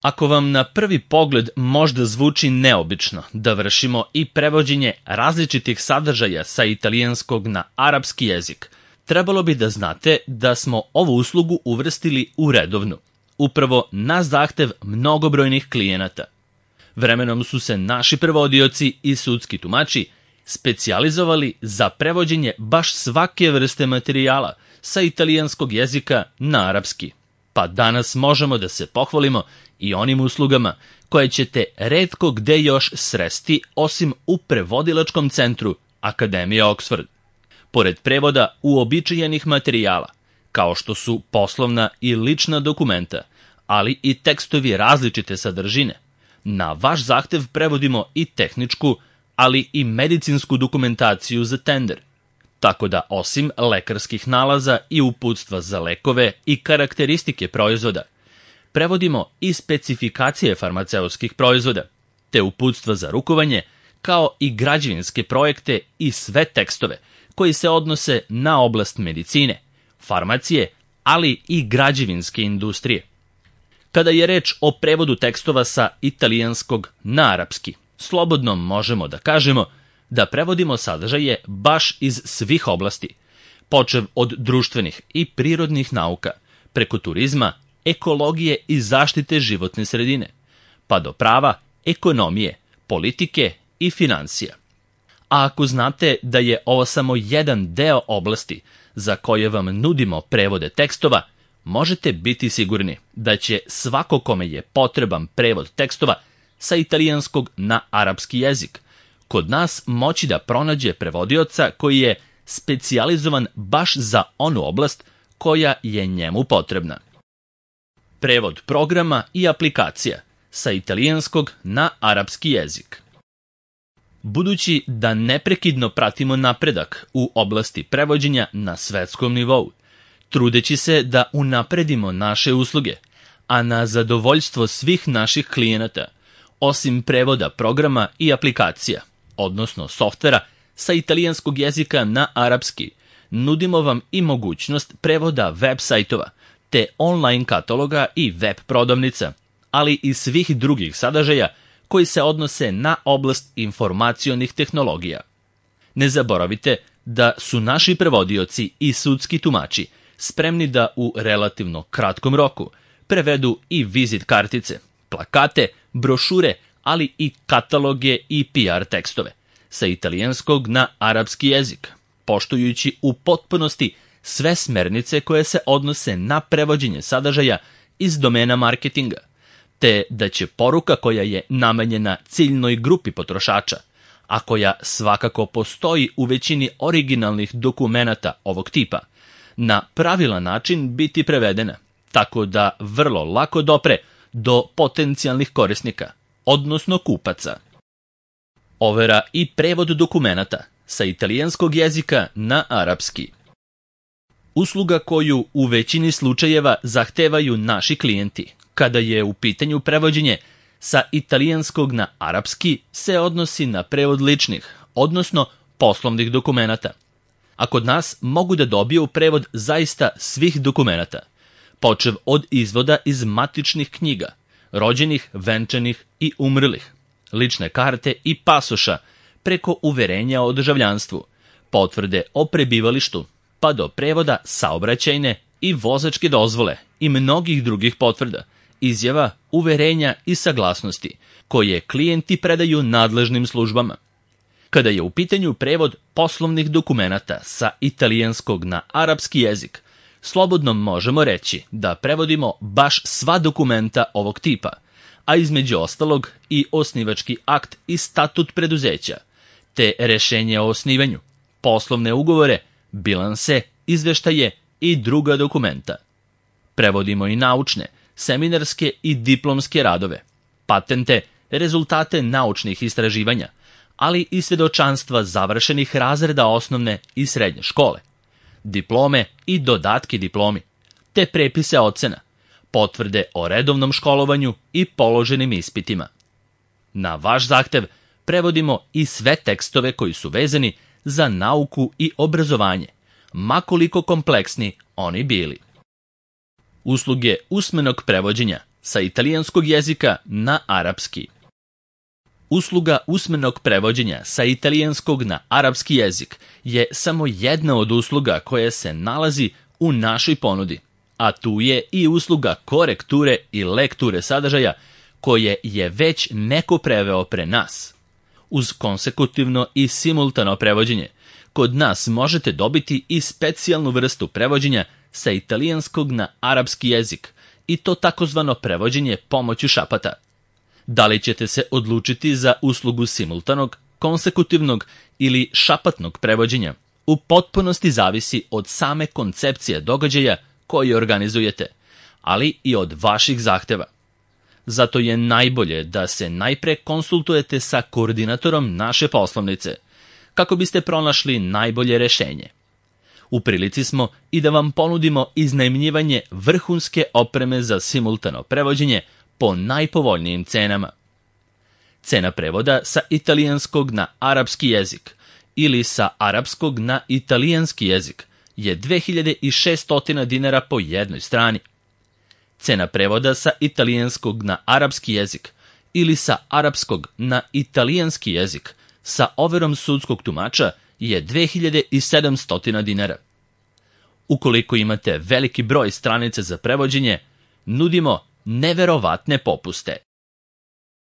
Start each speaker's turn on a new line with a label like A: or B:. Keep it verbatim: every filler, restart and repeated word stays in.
A: Ako vam na prvi pogled možda zvuči neobično da vršimo i prevođenje različitih sadržaja sa italijanskog na arapski jezik, trebalo bi da znate da smo ovu uslugu uvrstili u redovnu, upravo na zahtev mnogobrojnih klijenata. Vremenom su se naši prevodioci i sudski tumači specijalizovali za prevođenje baš svake vrste materijala sa italijanskog jezika na arapski, pa danas možemo da se pohvalimo i onim uslugama koje ćete retko gde još sresti osim u prevodilačkom centru Akademije Oxford. Pored prevoda uobičajenih materijala, kao što su poslovna i lična dokumenta, ali i tekstovi različite sadržine, na vaš zahtev prevodimo i tehničku, ali i medicinsku dokumentaciju za tender. Tako da osim lekarskih nalaza i uputstva za lekove i karakteristike proizvoda, prevodimo i specifikacije farmaceutskih proizvoda, te uputstva za rukovanje, kao i građevinske projekte i sve tekstove koji se odnose na oblast medicine, farmacije, ali i građevinske industrije. Kada je reč o prevodu tekstova sa italijanskog na arapski, slobodno možemo da kažemo da prevodimo sadržaje baš iz svih oblasti, počev od društvenih i prirodnih nauka, preko turizma, ekologije i zaštite životne sredine, pa do prava, ekonomije, politike i finansija. A ako znate da je ovo samo jedan deo oblasti za koje vam nudimo prevode tekstova, možete biti sigurni da će svako kome je potreban prevod tekstova sa italijanskog na arapski jezik kod nas moći da pronađe prevodioca koji je specijalizovan baš za onu oblast koja je njemu potrebna. Prevod programa i aplikacija sa italijanskog na arapski jezik. Budući da neprekidno pratimo napredak u oblasti prevođenja na svetskom nivou, trudeći se da unapredimo naše usluge, a na zadovoljstvo svih naših klijenata, osim prevoda programa i aplikacija, odnosno softvera sa italijanskog jezika na arapski, nudimo vam i mogućnost prevoda web sajtova, te online kataloga i web prodavnica, ali i svih drugih sadržaja koji se odnose na oblast informacionih tehnologija. Ne zaboravite da su naši prevodioci i sudski tumači spremni da u relativno kratkom roku prevedu i vizit kartice, plakate, brošure, ali i kataloge i P R tekstove sa italijanskog na arapski jezik, poštujući u potpunosti sve smernice koje se odnose na prevođenje sadržaja iz domena marketinga, te da će poruka koja je namenjena ciljnoj grupi potrošača, a koja svakako postoji u većini originalnih dokumenata ovog tipa, na pravilan način biti prevedena, tako da vrlo lako dopre do potencijalnih korisnika, odnosno kupaca. Overa i prevod dokumenata sa italijanskog jezika na arapski. Usluga koju u većini slučajeva zahtevaju naši klijenti, kada je u pitanju prevođenje sa italijanskog na arapski, se odnosi na prevod ličnih, odnosno poslovnih dokumenata. A kod nas mogu da dobiju prevod zaista svih dokumenata, počev od izvoda iz matičnih knjiga, rođenih, venčanih i umrlih, lične karte i pasoša, preko uverenja o državljanstvu, potvrde o prebivalištu, pa do prevoda saobraćajne i vozačke dozvole i mnogih drugih potvrda, izjava, uverenja i saglasnosti, koje klijenti predaju nadležnim službama. Kada je u pitanju prevod poslovnih dokumenata sa italijanskog na arapski jezik, slobodno možemo reći da prevodimo baš sva dokumenta ovog tipa, a između ostalog i osnivački akt i statut preduzeća, te rešenje o osnivanju, poslovne ugovore, bilanse, izveštaje i druga dokumenta. Prevodimo i naučne, seminarske i diplomske radove, patente, rezultate naučnih istraživanja, ali i svedočanstva završenih razreda osnovne i srednje škole, diplome i dodatke diplomi, te prepise ocena, potvrde o redovnom školovanju i položenim ispitima. Na vaš zahtev prevodimo i sve tekstove koji su vezani za nauku i obrazovanje, makoliko kompleksni oni bili. Usluge usmenog prevođenja sa italijanskog jezika na arapski. Usluga usmenog prevođenja sa italijanskog na arapski jezik je samo jedna od usluga koja se nalazi u našoj ponudi, a tu je i usluga korekture i lekture sadržaja koje je već neko preveo pre nas. Uz konsekutivno i simultano prevođenje, kod nas možete dobiti i specijalnu vrstu prevođenja sa italijanskog na arapski jezik, i to takozvano prevođenje pomoću šapata. Da li ćete se odlučiti za uslugu simultanog, konsekutivnog ili šapatnog prevođenja, u potpunosti zavisi od same koncepcije događaja koji organizujete, ali i od vaših zahteva. Zato je najbolje da se najpre konsultujete sa koordinatorom naše poslovnice, kako biste pronašli najbolje rešenje. U prilici smo i da vam ponudimo iznajmljivanje vrhunske opreme za simultano prevođenje po najpovoljnijim cenama. Cena prevoda sa italijanskog na arapski jezik ili sa arapskog na italijanski jezik je dve hiljade šesto dinara po jednoj strani. Cena prevoda sa italijanskog na arapski jezik ili sa arapskog na italijanski jezik sa overom sudskog tumača je dve hiljade sedamsto dinara. Ukoliko imate veliki broj stranica za prevođenje, nudimo neverovatne popuste.